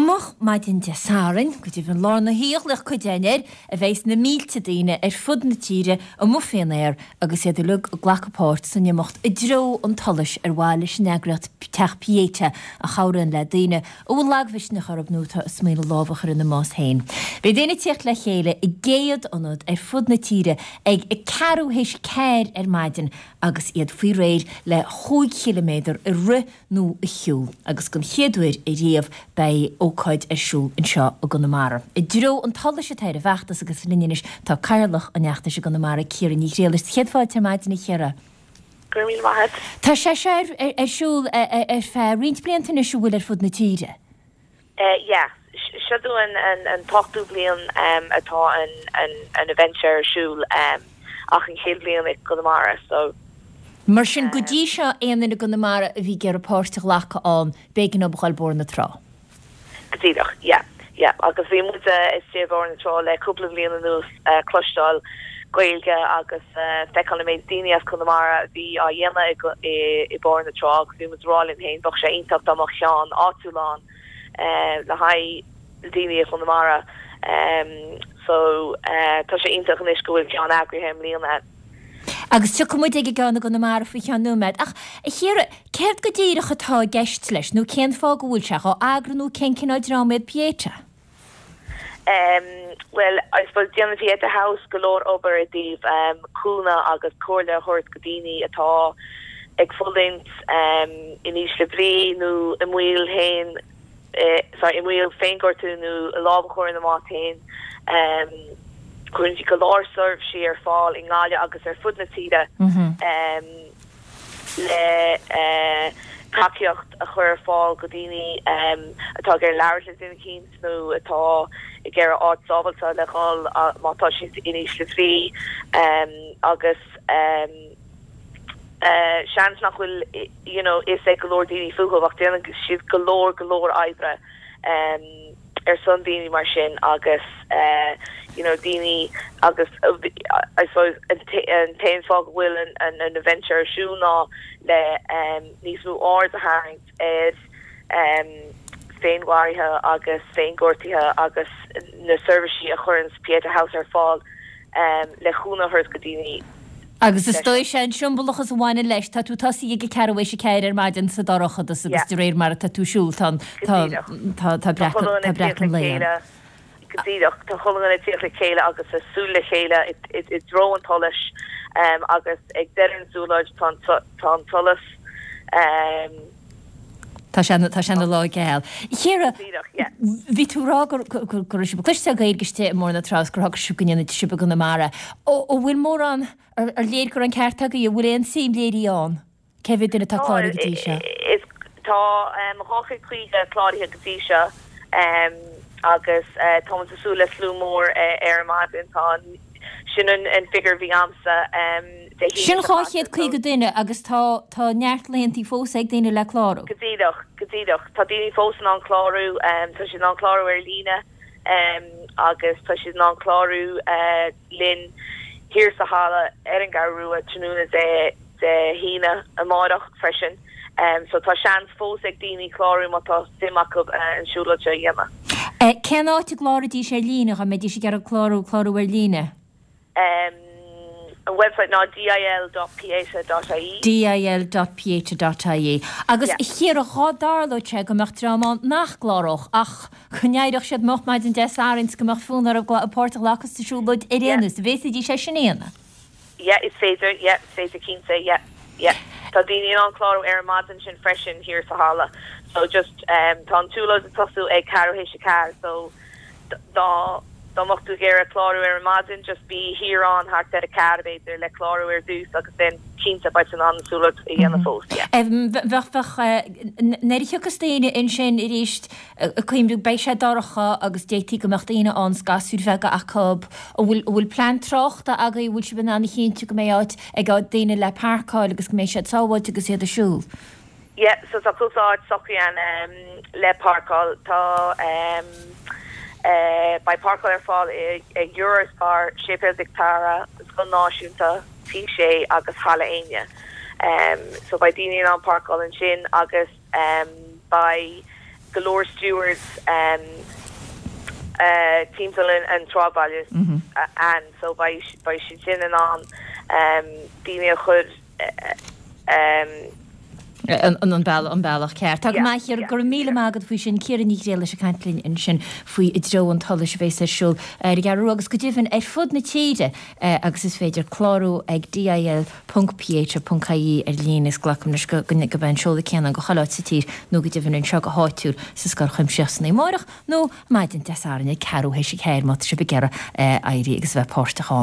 Go moch maidin Dé Sathairn, go deimhin lár na hoíche a ghlaoch cuid againn air, a bheidhs na mílte daoine ar fud na tíre amuigh fén aer agus iad uilig ag glacadh páirt san imeacht I dtreo an tSolais ar mhaithe leis an eagraíocht Teach Pieta a chabhraíonn le daoine a bhfuil lagmhisneach orthu nó atá ag smaoineamh lámh a chur ina mbás féin. Beidh daoine ag tíocht le chéile i gcéad ionad ar fud na tíre ag a ceathrú théis ceathair ar maidin agus iad faoi réir le chúig chiliméadar a rith nó a shiúl, agus don chéad uair ariamh beidh ócáid ar siúl anseo i gConamara. I dtreo an tSolais atá ar an bhfeachtas agus linn anois tá Cathaoirleach an fheachtais i gConamara, Ciara Ní Ghriallais. Céad fáilte ar maidin a Chiara. Go raibh míle maith agat. Tá sé seo ar siúl ar feadh roinnt blianta anois an bhfuil ar fud na tíre? Yeah, seo dúinn an t-ochtú bliain atá an event seo ar siúl ach an chéad bhliain i gConamara so. Mar sin, go dtí seo, aon duine i gConamara a bhí ag iarraidh páirt a ghlacadh ann, b'éigean dóibh a dhul Bóthar na Trá. Go díreach, yeah, yeah. Agus bhí muid istigh i mBóthar na Trá le cúpla bliain anuas cloisteáil Gaeilge agus feiceáil an méid daoine as Conamara a bhí á dhéanamh i mBóthar na Trá agus bhí muid ag rá linn féin bheadh sé iontach dá mbeadh ceann áitiúil ann le haghaidh daoine i Chonamara. So tá sé iontach anois go bhfuil ceann eagraithe i mbliana. Agus tiocfaidh muid ag an gceann i gConamara faoi cheann nóiméad. Ach, a Chiara, céard go díreach atá i gceist leis nó cén fáth go bhfuil sé dhá eagrú nó cén cineál dream iad Pieta? Bhuel, I suppose déanann Pieta House go leor obair i dtaobh cúnamh agus comhairle a thabhairt go daoine atá ag fulaingt in ísle brí nó i mbaol féin, sorry, i mbaol féinghortú nó lámh a chur ina mbás féin. Cuireann siad go leor seirbhísí ar fáil i nGaillimh agus ar fud na tíre. le tacaíocht a chur ar fáil go daoine atá ag iarraidh labhairt le duine eicínt nó atá ag iarraidh áit sábháilte le dhul má tá siad in ísle brí agus seans nach bhfuil you know fhios ag go leor daoine fúthu ach déanann siad go leor go leor oibre. ar son daoine mar sin agus you know daoine agus I suppose an t-aon fáth go bhfuil an an event seo ar siúl ná le níos mó aird a tharraingt ar féinmharaithe agus féinghortuithe agus na seirbhísí a chuireann Pieta House ar fáil le cúnamh a thabhairt go daoine Agus is dóigh sé an siombalachas a bhaineann leis, tá tú tosaithe ag a ceathrú théis a ceathair ar maidin sa dorchadas agus de réir mar atá tú ag siúl tá tá tá tá breacadh tá breacadh an lae ann. Go díreach, tá chuile dhuine ag tíocht le chéile agus ag siúl le chéile i dtreo an tsolais agus ag deireadh an siúlóid tá tá an solas. Tá sé tá sé ina lá geal. Chiara, bhí tú ag rá go go raibh sibh ag cloisteáil Gaeilge istigh i mBóthar na Trá agus gur shocraigh sibh go ndéanfaidh sibh i gConamara. An bhfuil mórán, ar léir go raibh an ceart agaibh, an bhfuil aon suim léirithe ann? Cé mhéad duine atá cláraithe go dtí seo? Tá 250 cláraithe go dtí seo agus tá muid ag súil le slua mór ar an maidin. Tá Sin an figiúr a bhí a'msa Dé hAoine Sin seo caite, 250 duine agus tá tá neart laethantaí fós ag daoine le clárú. Go díreach, go díreach. Tá daoine fós in ann clárú, tá siad in ann clárú ar líne agus tá siad in ann clárú linn thiar sa halla ar an gCeathrú Rua tráthnóna Dé Dé hAoine amáireach freisin. So tá seans fós ag daoine clárú má tá suim acu an siúlóid seo a dhéanamh. Cén áit a gcláraídís ar líne dá mbeidís ag iarraidh clárú clárú ar líne? An website ná dil dot pieta dot ie. dil dot pieta dot ie. Agus a Chiara, dhá dtarlódh sé go mbeadh dream ann nach gcláródh ach go n-éireodh siad moch maidin Dé Sathairn 's go mbeadh fonn orthu páirt a ghlacadh sa siúlóid ar aon nós, an bhféadfaidís é sin a dhéanamh? Yeah, is féidir, yeah, is féidir cinnte, yeah, yeah. Tá daoine in ann clárú ar an maidin sin freisin thiar sa halla. So just, um, tá an tsiúlóid ag tosú ag ceathrú théis a ceathair, so dá, dá mbeadh tú ag iarraidh clárú ar an maidin, just bí thiar ann thart ar a ceathair b'fhéidir le clárú ar dtús agus then cinnte beidh tú in ann an tsiúlóid a dhéanamh fós, yeah. Bheadh, bheadh, eh, nuair a thiocfas daoine ansin arís, Ag cuimhniú, beidh sé dorcha agus d'fhéadfaí go mbeadh daoine ann 's gasúir bheaga acu. An bhfuil, an bhfuil plean tráchta agaibh, an bhfuil sibh in ann a chinntiú go mbeidh áit ag daoine le páirceáil agus go mbeidh siad sábháilte agus iad ag siúl? Yeah, so tá cúpla áit socraithe ann le páirceáil. Tá, beidh páirceáil ar fáil ag Eurospar, Séipéal Mhic Dara, Scoil Náisiúnta, Tí Sé agus Halla Éinne. So beidh daoine in ann páirceáil ansin agus beidh. go leor stewards timpeall an tsráidbhaile ann so beidh siad sin in ann daoine a chur an bealach ceart. Tá go maith, Ciara, go raibh míle maith agat faoi sin. Ciara Ní Ghriallais ag caint linn ansin faoi I dTreo an tSolais a bhéas ar siúl ar an gCeathrú Rua agus go deimhin ar fud na tíre agus is féidir clárú ag dil ponc ph ponc ie ar líne is glacaim leis go mbeidh an seoladh céanna ann go chuile áit sa tír nó go deimhin anseo go háitiúil sa Scoil Chuimsitheach san Amárach nó maidin Dé Sathairn ag ceathrú théis a ceathair má tá sibh ag iarraidh éirí agus a bheith páirteach ann.